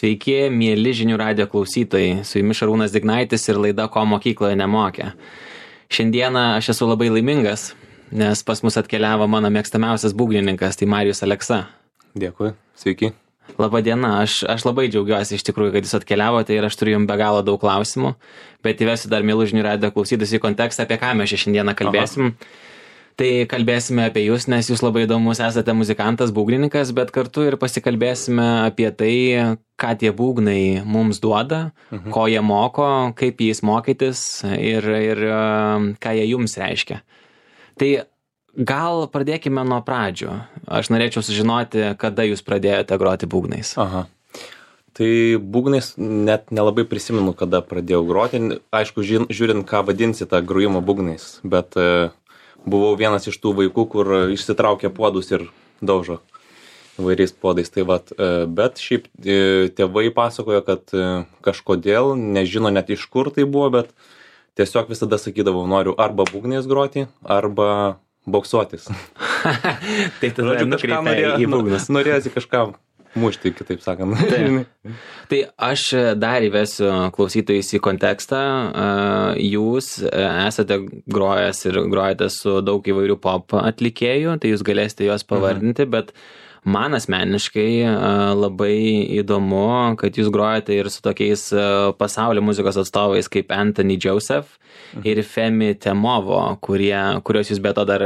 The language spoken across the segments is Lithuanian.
Sveiki, mėly žinių radijo klausytojai. Su jumis Šarūnas Dignaitis ir laida Ko mokykloje nemokė. Šiandieną aš esu labai laimingas, nes pas mus atkeliavo mano mėgstamiausias būgnininkas, tai Marijus Aleksa. Dėkui, sveiki. Labą dieną, aš labai džiaugiuosi iš tikrųjų, kad jūs atkeliavote ir aš turiu jums be galo daug klausimų, bet įvesiu dar mėlų žinių radijo klausytis į kontekstą, apie ką mes šiandieną kalbėsim. Tai kalbėsime apie jūs, nes jūs labai įdomus esate muzikantas, būgnininkas, bet kartu ir pasikalbėsime apie tai, ką tie būgnai mums duoda, ko jie moko, kaip jais mokytis ir ką jie jums reiškia. Tai gal pradėkime nuo pradžių. Aš norėčiau sužinoti, kada jūs pradėjote groti būgnais. Tai būgnais net nelabai prisimenu, kada pradėjau groti. Aišku, žiūrint, ką vadinsi tą grojimą būgnais, bet buvau vienas iš tų vaikų, kur išsitraukia puodus ir daužo įvairiais puodais. Tai vat, bet šiaip tėvai pasakojo, kad kažkodėl, nežino net iš kur tai buvo, bet tiesiog visada sakydavau, noriu arba būgnais groti, arba boksuotis. Tai tada nukreipė į būgnus. Norėjosi kažką mušti, kitaip sakant. Tai aš dar įvesiu klausytojus į kontekstą. Jūs esate grojęs ir grojate su daug įvairių pop atlikėjų, tai jūs galėsite juos pavardinti, bet man asmeniškai labai įdomu, kad jūs grojate ir su tokiais pasaulio muzikos atstovais kaip Anthony Joseph ir Femi Temovo, kurios jūs be to dar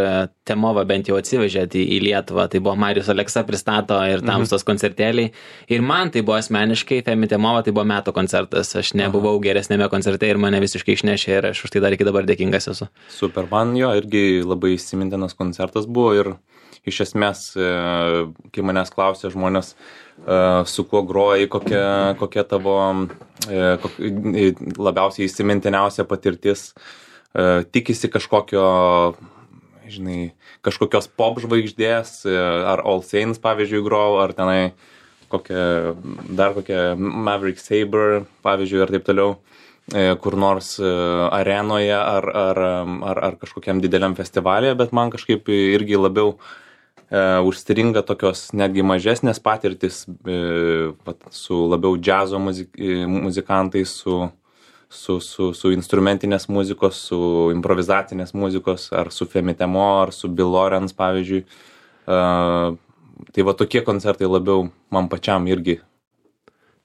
Temovą bent jau atsivežėte į Lietuvą. Tai buvo Marijus Aleksa pristato ir Tamstos koncertėliai. Ir man tai buvo asmeniškai, Femi Temovo tai buvo metų koncertas. Aš nebuvau geresnėme koncerte ir mane visiškai išnešė ir aš už tai dar iki dabar dėkingas esu. Super, man jo irgi labai įsimintinas koncertas buvo ir iš esmės, kai manęs klausė žmonės, su kuo groji, kokia tavo labiausiai įsimintiniausia patirtis, tikisi kažkokio, kažkokios pop žvaigždės, ar All Saints, pavyzdžiui, grojau, ar tenai kokia Maverick Sabre, pavyzdžiui, ir taip toliau, kur nors arenoje ar kažkokiam dideliam festivalyje, bet man kažkaip irgi labiau užstringa tokios netgi mažesnės patirtis su labiau džiazo muzikantais, su instrumentinės muzikos, su improvizacinės muzikos, ar su Femi Temo, ar su Bill Lawrence, pavyzdžiui. Tai va tokie koncertai labiau man pačiam irgi.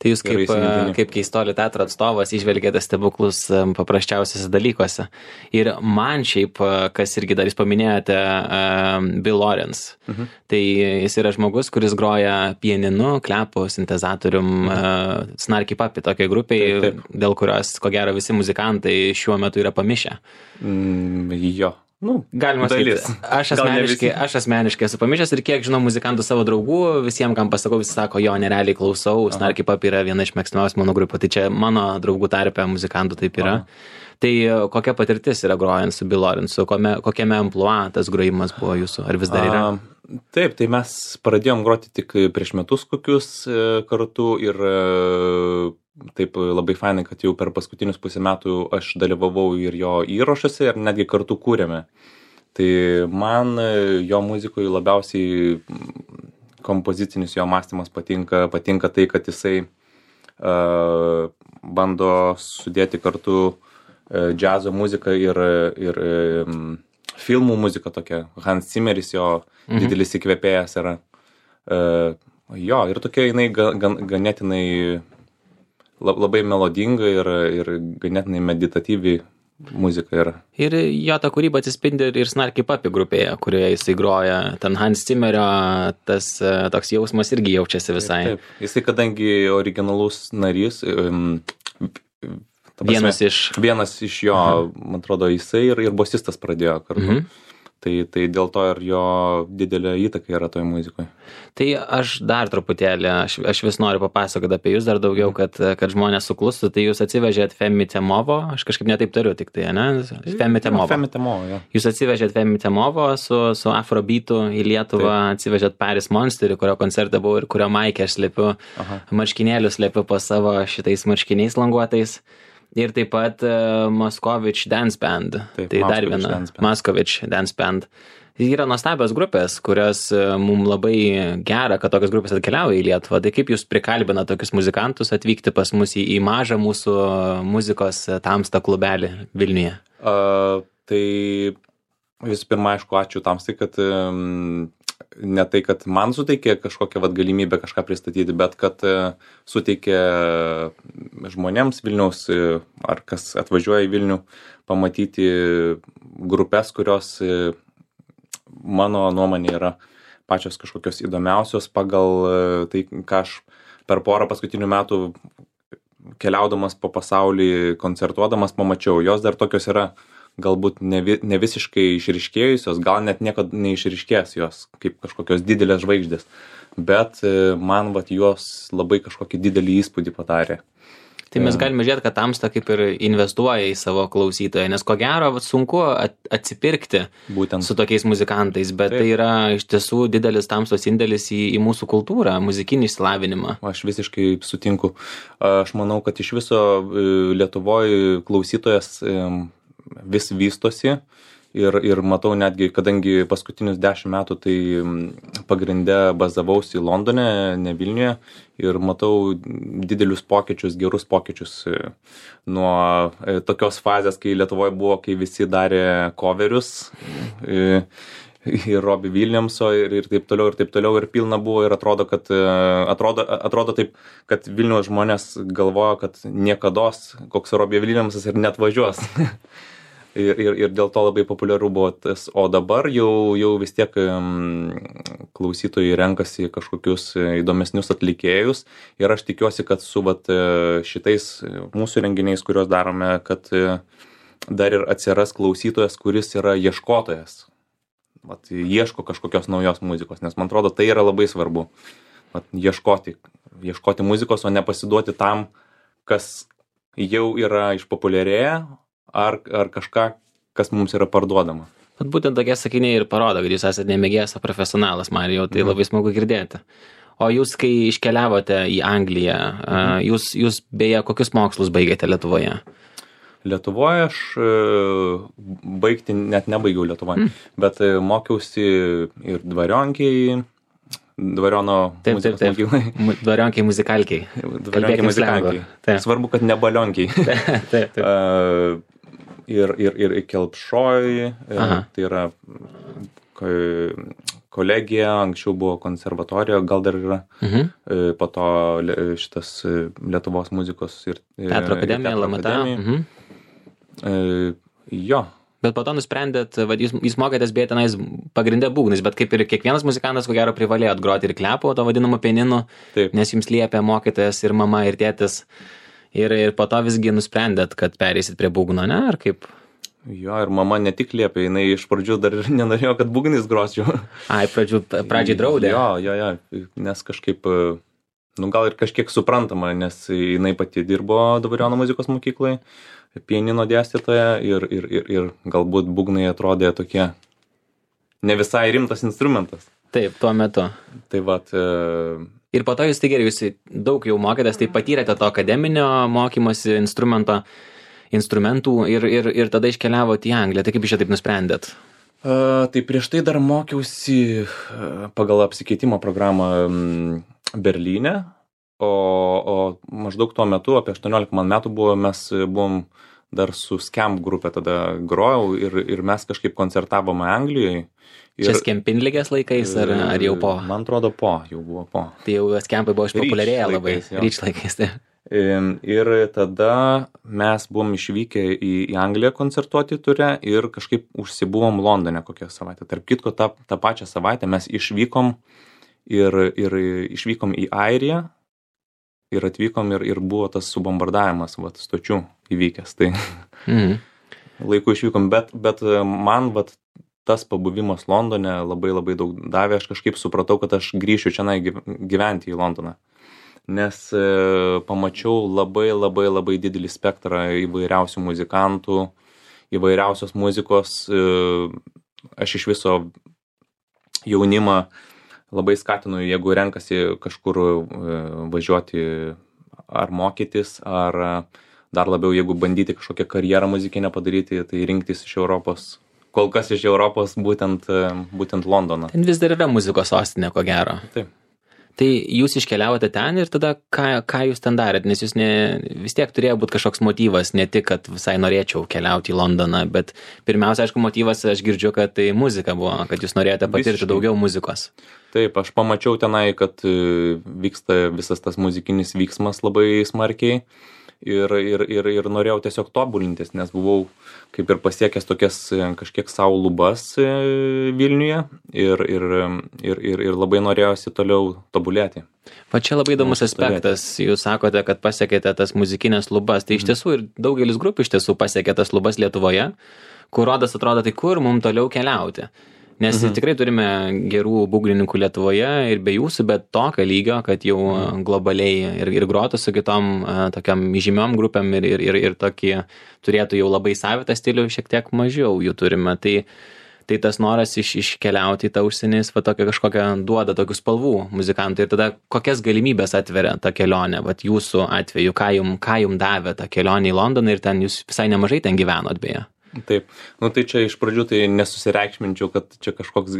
Tai jūs kaip Keistuolių teatro atstovas įžvelgėte stebuklus paprasčiausiuose dalykuose. Ir man šiaip, kas irgi dar jūs paminėjote, Bill Lawrence. Tai jis yra žmogus, kuris groja pianinu, klepu, sintezatorium, Snarky Puppy tokiai grupiai, dėl kurios, ko gero, visi muzikantai šiuo metu yra pamišę. Jo. Galima sakyti. Aš asmeniškai esu pamišęs ir kiek žinau muzikantų savo draugų, visiems, kam pasakau, visi sako, jo, nerealiai klausau, Snarky Puppy yra viena iš mėgstamiausių mano grupių, tai čia mano draugų tarpe muzikantų taip yra. Tai kokia patirtis yra grojant su Bill Lawrence, kokiame amplua tas grojimas buvo jūsų, ar vis dar yra? Taip, tai mes pradėjom groti tik prieš metus kokius kartu ir taip labai fainai, kad jau per paskutinius pusę metų aš dalyvavau ir jo įrašuose ir netgi kartu kūrėme. Tai man jo muzikoje labiausiai kompozicinis jo mąstymas patinka tai, kad jisai bando sudėti kartu džiazo muziką ir filmų muziką tokia. Hans Zimmeris jo didelis įkvėpėjas yra. Jo, ir tokia jinai ganėtinai labai melodinga ir ganėtinai meditatyvi muzika yra. Ir jo ta kūryba atsispindi ir Snarky Puppy grupėje, kurioje jisai groja. Ten Hans Zimmerio tas toks jausmas irgi jaučiasi visai. Taip. Jisai kadangi originalus narys, vienas iš jo, man atrodo, jisai ir bosistas pradėjo kartu. Tai dėl to ir jo didelė įtaka yra toj muzikoje. Tai aš dar truputėlį, aš vis noriu papasakoti apie jūs dar daugiau, kad žmonės suklustų. Tai jūs atsivežėt Femi Temovo, aš kažkaip netaip tariu tik tai, ne? Femi Temovo. Femi Temovo, jo. Jūs atsivežėt Femi Temovo su Afrobeatu į Lietuvą, atsivežėt Paris Monsterį, kurio koncerte buvau ir kurio maikę aš slepiu, marškinėlius slepiu po savo šitais marškiniais languotais. Ir taip pat Moskovič Dance Band. Taip, Tai dar Moskovič viena Dance Band. Moskovič Dance Band. Yra nuostabios grupės, kurios mums labai gera, kad tokios grupės atkeliauja į Lietuvą. Tai kaip jūs prikalbina tokius muzikantus atvykti pas mus į mažą mūsų muzikos Tamsta klubelį Vilniuje? Tai visų pirma, aišku, ačiū Tamstai, kad ne tai, kad man suteikė kažkokią galimybę kažką pristatyti, bet kad suteikė žmonėms Vilniaus, ar kas atvažiuoja į Vilnių, pamatyti grupės, kurios mano nuomonė yra pačios kažkokios įdomiausios pagal tai, ką aš per porą paskutinių metų keliaudamas po pasaulį, koncertuodamas pamačiau. Jos dar tokios yra galbūt ne visiškai išryškėjusios, gal net niekad neišryškės jos kaip kažkokios didelės žvaigždės, bet man jos labai kažkokį didelį įspūdį padarė. Tai mes galime žiūrėti, kad Tamsta kaip ir investuoja į savo klausytoją, nes ko gero sunku atsipirkti Būtent. Su tokiais muzikantais, bet Taip. Tai yra iš tiesų didelis Tamstos indėlis į mūsų kultūrą, muzikinį išsilavinimą. Aš visiškai sutinku. Aš manau, kad iš viso Lietuvoje klausytojas vis vystosi ir matau netgi, kadangi paskutinius 10 metų tai pagrinde bazavausi Londone, ne Vilniuje, ir matau didelius pokyčius, gerus pokyčius nuo tokios fazės, kai Lietuvoje buvo, kai visi darė coverius ir Robbie Williamso ir taip toliau ir pilna buvo ir atrodo taip, kad Vilniaus žmonės galvojo, kad niekados koks Robbie Williamsas ir net važiuos. Ir dėl to labai populiaru buvo tas, o dabar jau vis tiek klausytojai renkasi kažkokius įdomesnius atlikėjus ir aš tikiuosi, kad su šitais mūsų renginiais, kuriuos darome, kad dar ir atsiras klausytojas, kuris yra ieškotojas. Ieško kažkokios naujos muzikos, nes man atrodo, tai yra labai svarbu. Ieškoti muzikos, o nepasiduoti tam, kas jau yra išpopuliarėję, ar kažką, kas mums yra parduodama. Būtent tokie sakiniai ir parodo, kad jūs esate nemėgėjas, o profesionalas, Marijau, tai labai smagu girdėti. O jūs, kai iškeliavote į Angliją, jūs beje, kokius mokslus baigėte Lietuvoje? Lietuvoje aš baigti net nebaigiau Lietuvoje, bet mokiausi ir Dvariono muzikos mokyklai. Dvarionkiai muzikalkiai. Dvarionkiai muzikalkiai. Svarbu, kad ne balionkiai. Taip. Ir Kelpšoj, tai yra kolegija, anksčiau buvo konservatorija, gal dar yra, po to šitas Lietuvos muzikos ir Teatro akademija, LMT. Jo. Bet po to nusprendėt, jūs mokėtės beje tenais pagrindę būgnais, bet kaip ir kiekvienas muzikantas, ko gero, privalėjot groti ir klepo, to vadinamo pianinu, nes jums liepė mokytojas ir mama, ir tėtis. Ir po to visgi nusprendėt, kad pereisit prie būgno, ne? Ar kaip? Jo, ir mama ne tik liepė, jinai iš pradžių dar ir nenorėjo, kad būgnais grosčiau. Pradžiai draudė. Jo, nes kažkaip, gal ir kažkiek suprantama, nes jinai pati dirbo Dvariono muzikos mokyklai, pianino dėstytoja ir galbūt būgnai atrodė tokie ne visai rimtas instrumentas. Taip, tuo metu. Tai Ir po to jūs, tai gerai, jūs daug jau mokėtės, tai patyrėte to akademinio mokymosi instrumentų ir tada iškeliavote į Angliją. Tai kaip iš čia taip nusprendėt? Tai prieš tai dar mokiausi pagal apsikeitimo programą Berlyne, o maždaug tuo metu, apie 18 metų buvo, mes buvom dar su Scamp grupė tada grojau ir mes kažkaip koncertavome Anglijoje. Čia Skempinligės laikais ar jau po? Man atrodo jau buvo po. Tai jau Skempai buvo išpopuliarėję labai. Ryč laikais, tai. Ir tada mes buvom išvykę į Angliją koncertuoti ture ir kažkaip užsibuvom Londone kokią savaitę. Tarp kitko, tą pačią savaitę mes išvykom ir išvykom į Airiją ir atvykom ir buvo tas subombardavimas stočių įvykęs. Tai laiku išvykom, bet man tas pabuvimas Londone labai labai daug davė. Aš kažkaip supratau, kad aš grįšiu čia gyventi į Londoną. Nes pamačiau labai labai labai didelį spektrą įvairiausių muzikantų, įvairiausios muzikos. Aš iš viso jaunimą labai skatinu, jeigu renkasi kažkur važiuoti ar mokytis, ar dar labiau, jeigu bandyti kažkokią karjerą muzikinę padaryti, tai rinktis iš Europos. Kol kas iš Europos būtent Londoną. Ten vis dar yra muzikos sostinė, ko gero. Taip. Tai jūs iškeliavote ten ir tada ką jūs ten darėt, nes jūs vis tiek turėjo būti kažkoks motyvas, ne tik, kad visai norėčiau keliauti į Londoną, bet pirmiausia, aišku, motyvas, aš girdžiu, kad tai muzika buvo, kad jūs norėjote patirti daugiau muzikos. Taip, aš pamačiau tenai, kad vyksta visas tas muzikinis vyksmas labai smarkiai ir norėjau tiesiog tobulintis, nes buvau kaip ir pasiekęs tokias kažkiek savo lubas Vilniuje ir labai norėjosi toliau tobulėti. Va čia labai įdomus aspektas, jūs sakote, kad pasiekėte tas muzikinės lubas, tai iš tiesų ir daugelis grupių iš tiesų pasiekė tas lubas Lietuvoje, kur rodas atrodo, tai kur mums toliau keliauti. Nes tikrai turime gerų būgnininkų Lietuvoje ir be jūsų, bet tokio lygio, kad jau globaliai ir grotų su kitom tokiam žymiom grupėm ir tokį turėtų jau labai savitą stilių, šiek tiek mažiau jų turime. Tai tas noras iškeliauti į tą užsienį, va tokia kažkokia duoda tokių spalvų muzikantai. Ir tada kokias galimybės atveria ta kelionė, va jūsų atveju, ką jum davė ta kelionė į Londoną ir ten jūs visai nemažai ten gyvenot beje. Taip, tai čia iš pradžių tai nesusireikšminčiau, kad čia kažkoks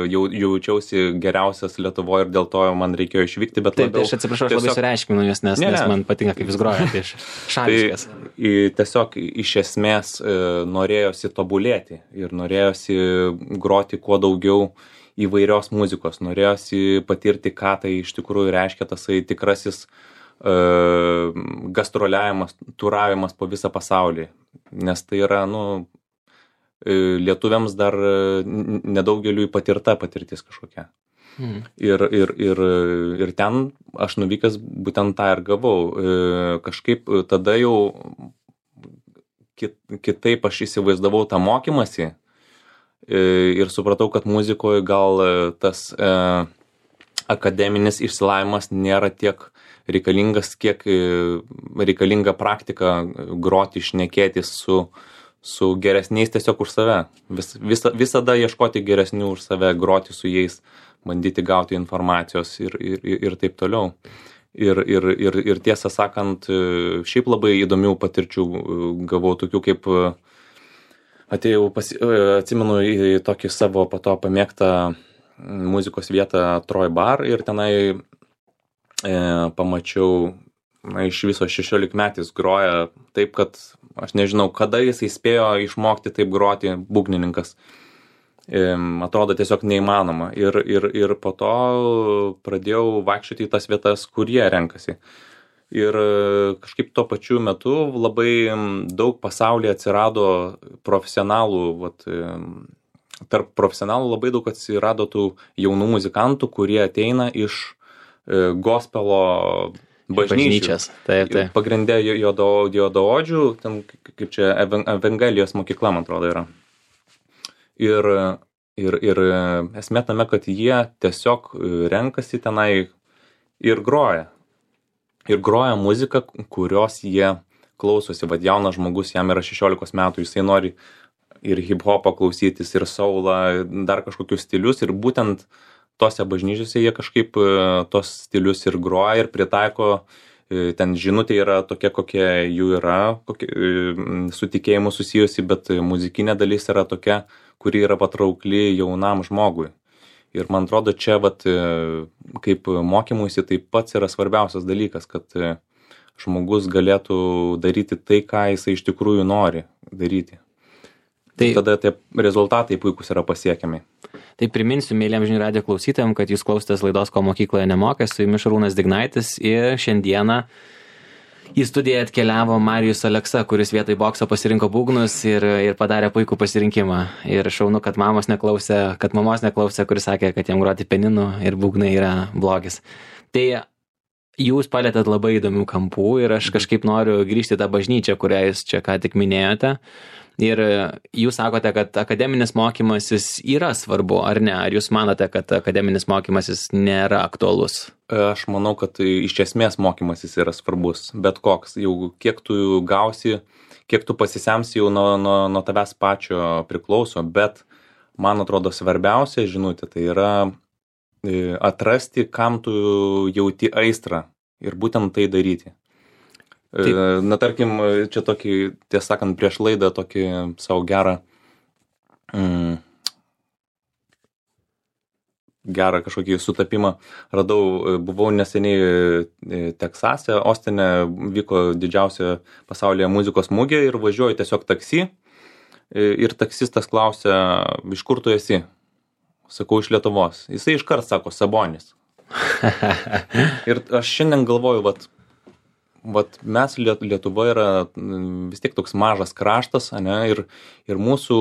jaučiausi geriausias Lietuvoje ir dėl to man reikėjo išvykti, bet taip, labiau... Taip, aš atsiprašau, aš labai sureikšminu jūs, nes man patinka, kaip jūs grojate iš šališkas. Tai tiesiog iš esmės norėjosi tobulėti ir norėjosi groti kuo daugiau įvairios muzikos, norėjosi patirti, ką tai iš tikrųjų reiškia tasai tikrasis gastroliavimas, turavimas po visą pasaulį. Nes tai yra, lietuviams dar nedaugeliui patirta patirtis kažkokia. Ir ten aš nuvykęs būtent tą ir gavau. Kažkaip tada jau kitaip aš įsivaizdavau tą mokymąsi ir supratau, kad muzikoje gal tas akademinis išsilavinimas nėra tiek reikalingas, kiek reikalinga praktika groti, šnekėtis su geresniais tiesiog už save. Visada ieškoti geresnių už save, groti su jais, bandyti gauti informacijos ir taip toliau. Ir tiesą sakant, šiaip labai įdomių patirčių gavau, tokių kaip atėjau, atsimenu į tokį savo po to pamėgtą muzikos vietą Troy Bar ir tenai pamačiau, iš viso 16 metais groja taip, kad aš nežinau, kada jisai spėjo išmokti taip groti būgnininkas. Atrodo tiesiog neįmanoma. Ir po to pradėjau vaikščioti į tas vietas, kur jie renkasi. Ir kažkaip tuo pačiu metu labai daug pasaulyje atsirado profesionalų, tarp profesionalų labai daug atsirado tų jaunų muzikantų, kurie ateina iš gospelo bažnyčias. Taip. Pagrindė juodaodžių, ten kaip čia Evangelijos mokykla, man atrodo, yra. Ir esmė tame, kad jie tiesiog renkasi tenai ir groja. Ir groja muziką, kurios jie klausosi. Vat jaunas žmogus, jam yra 16 metų, jisai nori ir hip-hopą klausytis, ir soulą, dar kažkokius stilius. Ir būtent tose bažnyčiose jie kažkaip tos stilius ir groja ir pritaiko, ten žinutė yra tokia, kokia jų yra, su tikėjimu susijusi, bet muzikinė dalis yra tokia, kuri yra patraukli jaunam žmogui. Ir man atrodo, čia kaip mokymuisi taip pats yra svarbiausias dalykas, kad žmogus galėtų daryti tai, ką jisai iš tikrųjų nori daryti. Tai tada tie rezultatai puikus yra pasiekiami. Tai priminsiu mėlyjam žinių radijo klausytojams, kad jūs klausotės laidos Ko mokykloje nemokė, su jumis Šarūnas Dignaitis ir šiandieną į studiją atkeliavo Marijus Aleksa, kuris vietoj bokso pasirinko būgnus ir padarė puikų pasirinkimą. Ir šaunu, kad mamos neklausė, kuris sakė, kad jam groti peninu ir būgnai yra blogis. Tai jūs palėtėt labai įdomių kampų ir aš kažkaip noriu grįžti į tą bažnyčią, kurią jūs čia ką tik minėjote. Ir jūs sakote, kad akademinis mokymasis yra svarbu, ar ne? Ar jūs manote, kad akademinis mokymasis nėra aktualus? Aš manau, kad iš esmės mokymasis yra svarbus, bet koks. Jau kiek tu gausi, kiek tu pasisemsi, jau nuo tavęs pačio priklauso, bet man atrodo svarbiausia žinutė, tai yra atrasti, kam tu jauti aistrą ir būtent tai daryti. Na, tarkim, čia tokį, tiesą sakant, prieš laidą tokį savo gerą kažkokį sutapimą radau. Buvau neseniai Teksase, Ostine vyko didžiausia pasaulyje muzikos mugė ir važiuoju tiesiog taksi. Ir taksistas klausia, iš kur tu esi? Sakau, iš Lietuvos. Jisai iškart sako, Sabonis. Ir aš šiandien galvoju, vat mes Lietuva yra vis tiek toks mažas kraštas, ane, ir mūsų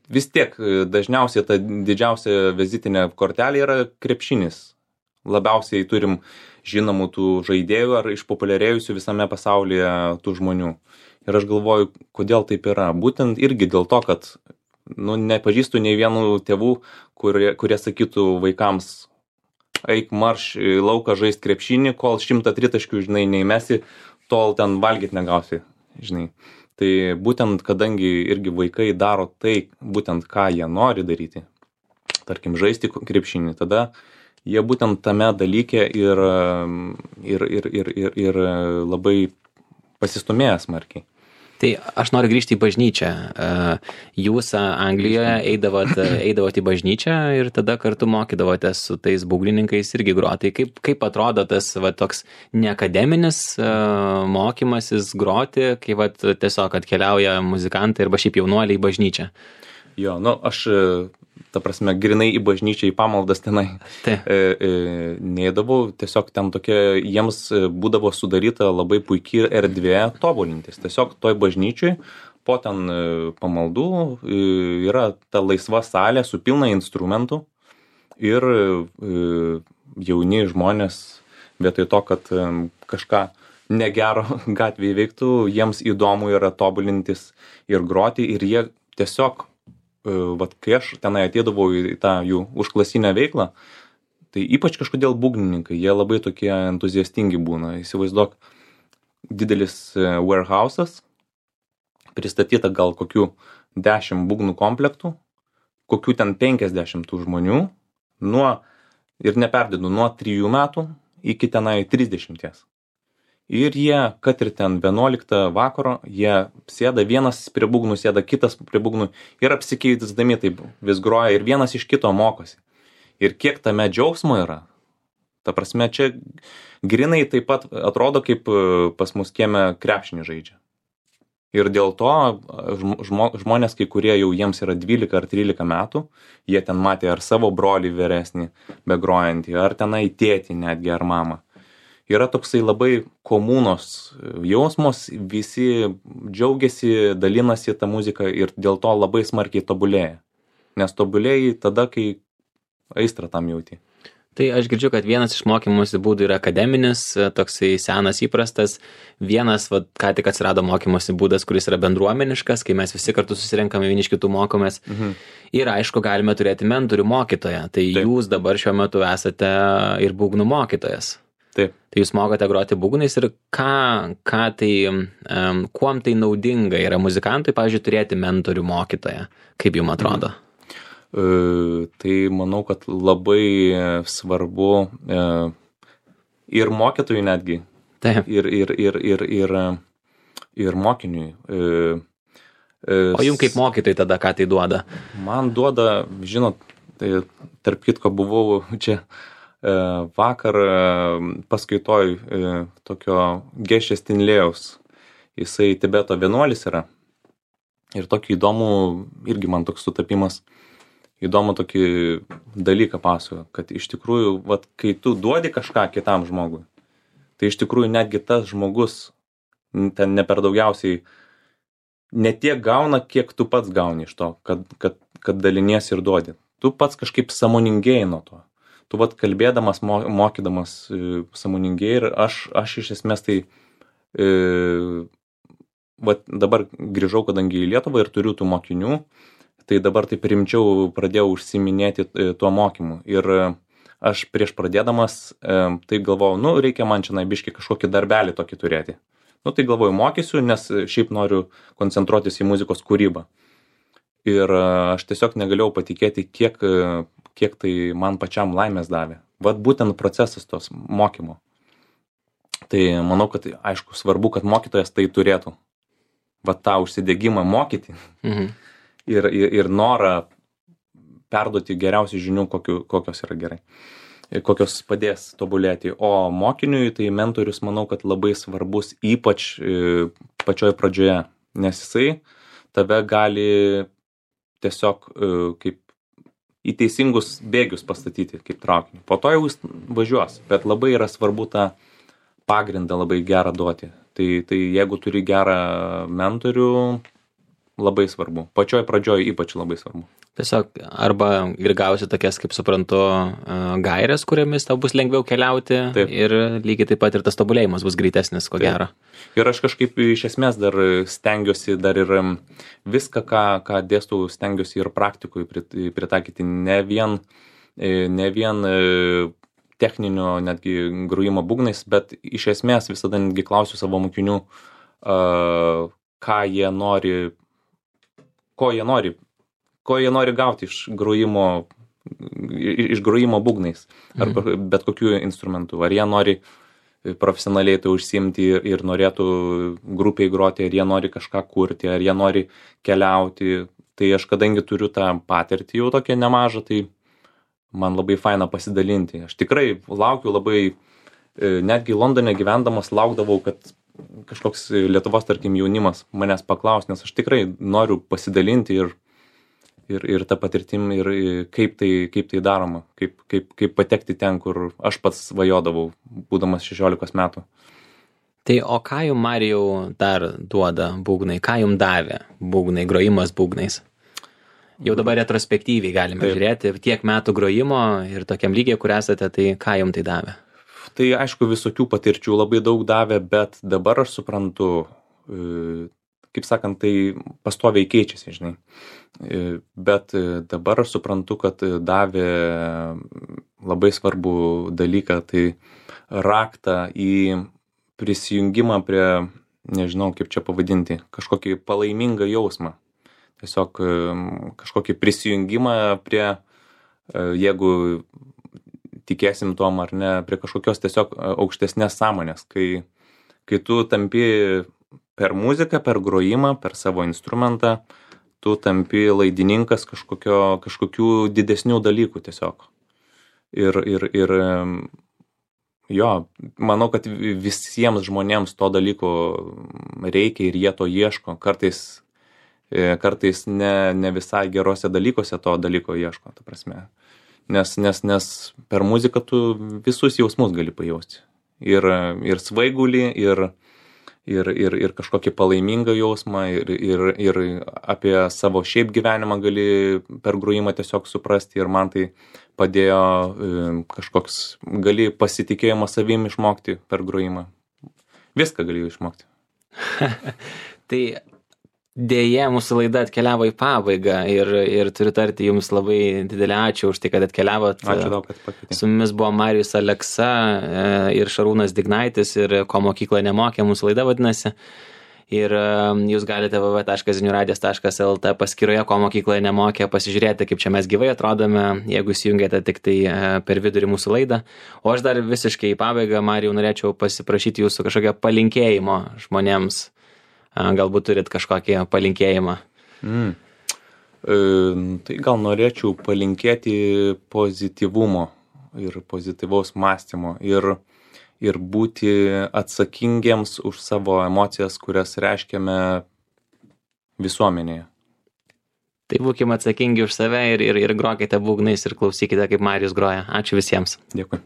vis tiek dažniausiai ta didžiausia vizitinė kortelė yra krepšinis. Labiausiai turim žinomų tų žaidėjų ar išpopuliarėjusių visame pasaulyje tų žmonių. Ir aš galvoju, kodėl taip yra. Būtent irgi dėl to, kad nepažįstu nei vienų tėvų, kurie sakytų vaikams, eik marš į lauką žaist krepšinį, kol 100 tritaškių, žinai, neįmesi, tol ten valgyt negausi, žinai. Tai būtent, kadangi irgi vaikai daro tai, būtent ką jie nori daryti, tarkim, žaisti krepšinį, tada jie būtent tame dalyke ir labai pasistumėja smarkiai. Tai aš noriu grįžti į bažnyčią. Jūs Anglijoje eidavot į bažnyčią ir tada kartu mokydavotės su tais būgnininkais irgi groti. Kaip atrodo tas toks neakademinis mokymasis groti, kai tiesiog atkeliauja muzikantai arba šiaip jaunuoliai į bažnyčią? Jo, aš, ta prasme, grinai į bažnyčią, į pamaldas tenai neidavau, tiesiog ten tokia, jiems būdavo sudaryta labai puikiai erdvė tobulintis. Tiesiog toj bažnyčiai po ten pamaldų yra ta laisva salė su pilna instrumentų ir jauni žmonės vietoj to, kad kažką negero gatvėje veiktų, jiems įdomu yra tobulintis ir groti ir jie tiesiog kai aš tenai ateidavau į tą jų užklasinę veiklą, tai ypač kažkodėl būgnininkai, jie labai tokie entuziastingi būna. Įsivaizduok, didelis warehouse'as, pristatyta gal kokių 10 būgnų komplektų, kokių ten 50 tų žmonių, ir neperdėdu, nuo 3 metų iki tenai 30. Ir jie, kad ir ten 11 vakaro, jie sėda, vienas prie būgnų sėda, kitas prie būgnų ir apsikeisdami taip vis groja ir vienas iš kito mokosi. Ir kiek tame džiaugsmo yra. Ta prasme, čia grinai taip pat atrodo, kaip pas mus kieme krepšinį žaidžia. Ir dėl to žmonės, kai kurie jau jiems yra 12 ar 13 metų, jie ten matė ar savo brolį vyresnį begrojantį, ar tenai tėtį netgi, ar mamą. Yra toksai labai komunos jausmos, visi džiaugiasi, dalinasi tą muziką ir dėl to labai smarkiai tobulėja. Nes tobulėjai tada, kai aistrą tam jauti. Tai aš girdžiu, kad vienas iš mokymosi būdų yra akademinis, toksai senas įprastas. Vienas, ką tik atsirado mokymosi būdas, kuris yra bendruomeniškas, kai mes visi kartu susirenkame, vieni iš kitų mokomės. Ir aišku, galime turėti mentorių mokytoją. Tai taip. Jūs dabar šiuo metu esate ir būgnų mokytojas. Taip. Tai jūs mokote groti būgnais ir kuom tai naudinga yra muzikantui, pavyzdžiui, turėti mentorių mokytoją? Kaip jums atrodo? Tai manau, kad labai svarbu ir mokytojui netgi. Taip. Ir mokiniui. O jums kaip mokytojai tada ką tai duoda? Man duoda, žinot, tai tarp kitko buvau čia vakar paskaitoj tokio Gešės Tinlėjaus. Jisai Tibeto vienuolis yra. Ir tokį įdomų, irgi man toks sutapimas, įdomų tokį dalyką pasakojo, kad iš tikrųjų, kai tu duodi kažką kitam žmogui, tai iš tikrųjų netgi tas žmogus ten ne per daugiausiai ne tiek gauna, kiek tu pats gauni iš to, kad daliniesi ir duodi. Tu pats kažkaip sąmoningėji nuo to. Tu kalbėdamas, mokydamas sąmoningėji ir aš iš esmės tai dabar grįžau, kadangi į Lietuvą ir turiu tų mokinių, tai dabar taip rimčiau pradėjau užsiiminėti tuo mokymu. Ir aš prieš pradėdamas tai galvojau, reikia man čia biškį kažkokį darbelį tokį turėti. Tai galvoju, mokysiu, nes šiaip noriu koncentruotis į muzikos kūrybą. Ir aš tiesiog negalėjau patikėti, kiek tai man pačiam laimės davė. Būtent procesas tos mokymo. Tai manau, kad aišku svarbu, kad mokytojas tai turėtų. Va tą užsidegimą mokyti ir norą perduoti geriausių žinių, kokios yra gerai, kokios padės tobulėti. O mokiniui tai mentorius, manau, kad labai svarbus, ypač pačioj pradžioje, nes jisai tave gali tiesiog kaip į teisingus bėgius pastatyti, kaip traukinį. Po to jau jis važiuos, bet labai yra svarbu tą pagrindą labai gerą duoti. Tai jeigu turi gerą mentorių, labai svarbu. Pačioj pradžioj ypač labai svarbu. Tiesiog arba ir gausi tokias, kaip suprantu, gairės, kuriamis tau bus lengviau keliauti. Taip. Ir lygiai taip pat ir tas tobulėjimas bus greitesnis, ko gero. Ir aš kažkaip iš esmės dar stengiuosi dar ir viską, ką dėstau, stengiuosi ir praktikui pritaikyti. Ne vien techninio netgi grojimo būgnais, bet iš esmės visada netgi klausiu savo mokinių, ko jie nori gauti iš grojimo būgnais, ar bet kokiu instrumentu. Ar jie nori profesionaliai tai užsiimti ir norėtų grupiai groti, ar jie nori kažką kurti, ar jie nori keliauti. Tai aš kadangi turiu tą patirtį jau tokią nemažą, tai man labai faina pasidalinti. Aš tikrai laukiu labai, netgi Londone gyvendamas laukdavau, kad kažkoks Lietuvos, tarkim, jaunimas manęs paklaus, nes aš tikrai noriu pasidalinti ir tą patirtim, ir kaip tai daroma, kaip patekti ten, kur aš pats svajodavau, būdamas 16 metų. Tai o ką jum, Marijau, dar duoda būgnai? Ką jum davė būgnai, grojimas būgnais? Jau dabar retrospektyviai galime žiūrėti tiek metų grojimo ir tokiam lygiai, kur esate, tai ką jum tai davė? Tai aišku, visokių patirčių labai daug davė, bet dabar aš suprantu, kaip sakant, tai pastoviai keičiasi, žinai. Bet dabar aš suprantu, kad davė labai svarbų dalyką, tai raktą į prisijungimą prie, nežinau kaip čia pavadinti, kažkokį palaimingą jausmą. Tiesiog kažkokį prisijungimą prie, jeigu tikėsim tom ar ne, prie kažkokios tiesiog aukštesnės sąmonės, kai tu tampi per muziką, per grojimą, per savo instrumentą, tu tampi laidininkas kažkokių didesnių dalykų tiesiog. Ir jo, manau, kad visiems žmonėms to dalyko reikia ir jie to ieško. Kartais ne visai gerose dalykuose to dalyko ieško, ta prasme. Nes per muziką tu visus jausmus gali pajausti. Ir svaigulį, ir kažkokį palaimingą jausmą, ir apie savo šiaip gyvenimą gali per grojimą tiesiog suprasti, ir man tai padėjo gali pasitikėjimą savim išmokti per grojimą. Viską gali išmokti. Tai dėja, mūsų laida atkeliavo į pabaigą ir turiu tarti jums labai didelį ačiū už tai, kad atkeliavot. Ačiū daug, kad pakvietėte. Su mumis buvo Marijus Aleksa ir Šarūnas Dignaitis, ir Ko mokykla nemokė, mūsų laida vadinasi. Ir jūs galite www.ziniuradijas.lt paskyroje Ko mokykla nemokė pasižiūrėti, kaip čia mes gyvai atrodome, jeigu įsijungėte tik tai per vidurį mūsų laidą. O aš dar visiškai į pabaigą, Marijau, norėčiau pasiprašyti jūsų kažkokio palinkėjimo žmonėms. Galbūt turit kažkokį palinkėjimą. Tai gal norėčiau palinkėti pozityvumo ir pozityvaus mąstymo ir būti atsakingiems už savo emocijas, kurias reiškiame visuomenėje. Tai būkime atsakingi už save ir grokite būgnais ir klausykite, kaip Marijus groja. Ačiū visiems. Dėkui.